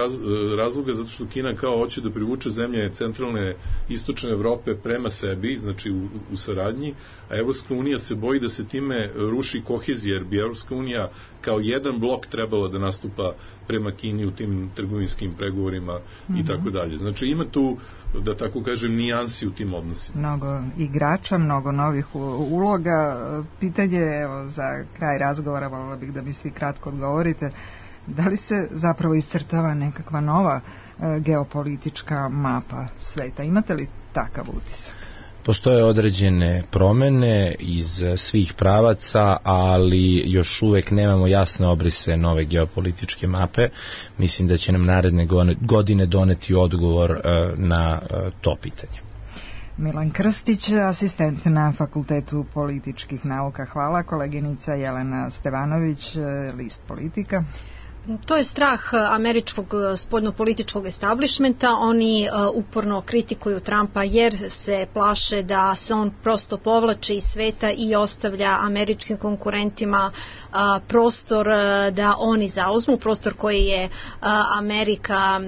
razloga, zato što Kina kao hoće da privuče zemlje centralne istočne Evrope prema sebi, znači u saradnji, a Evropska unija se boji da se time ruši kohezija, jer bi Evropska unija kao jedan blok trebala da nastupa prema Kini u tim trgovinskim pregovorima i tako dalje. Znači ima tu, da tako kažem, nijansi u tim odnosima. Mnogo igrača, mnogo novih uloga. Pitanje, evo, za kraj razgovora, volila bih da mi svi kratko odgovorite, da li se zapravo iscrtava nekakva nova geopolitička mapa sveta? Imate li takav utisak? Postoje određene promene iz svih pravaca, ali još uvek nemamo jasne obrise nove geopolitičke mape. Mislim da će nam naredne godine doneti odgovor na to pitanje. Milan Krstić, asistent na Fakultetu političkih nauka. Hvala. Koleginica Jelena Stevanović, list Politika. To je strah američkog spoljnopolitičkog establishmenta. Oni uporno kritikuju Trumpa jer se plaše da se on prosto povlači iz sveta i ostavlja američkim konkurentima prostor da oni zauzmu, prostor koji je Amerika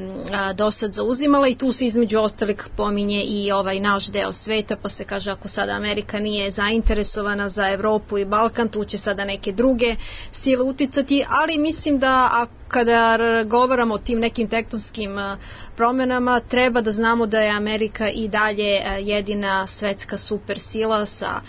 do sad zauzimala, i tu se između ostalih pominje i ovaj naš deo sveta, pa se kaže ako sada Amerika nije zainteresovana za Evropu i Balkan, tu će sada neke druge sile uticati, ali mislim da kada govoramo o tim nekim tektonskim promenama, treba da znamo da je Amerika i dalje jedina svetska supersila sa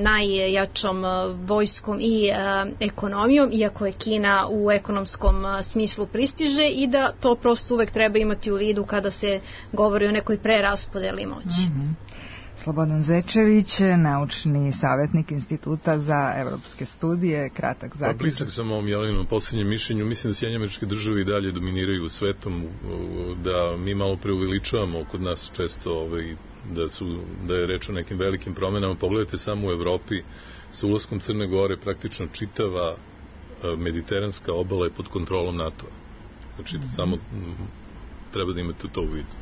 najjačom vojskom i ekonomijom, iako je Kina u ekonomskom smislu pristiže, i da to prosto uvek treba imati u vidu kada se govori o nekoj preraspodeli moći. Slobodan Zečević, naučni savjetnik Instituta za evropske studije, kratak zaključak. Blisak sam ovom Jeleninom posljednjem mišljenju. Mislim da Sjedinjene Američke Države i dalje dominiraju svetom, da mi malo preuveličavamo kod nas često da je reč o nekim velikim promenama. Pogledajte samo u Evropi, sa ulaskom Crne Gore praktično čitava mediteranska obala je pod kontrolom NATO-a. Znači, samo treba da imate to u vidu.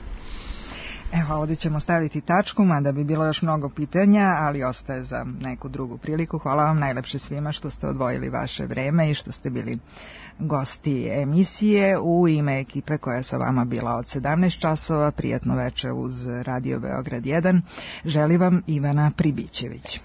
Evo, ovdje ćemo staviti tačku, mada bi bilo još mnogo pitanja, ali ostaje za neku drugu priliku. Hvala vam najlepše svima što ste odvojili vaše vreme i što ste bili gosti emisije. U ime ekipe koja je sa vama bila od 17 časova, prijatno veče uz Radio Beograd 1, želi vam Ivana Pribićević.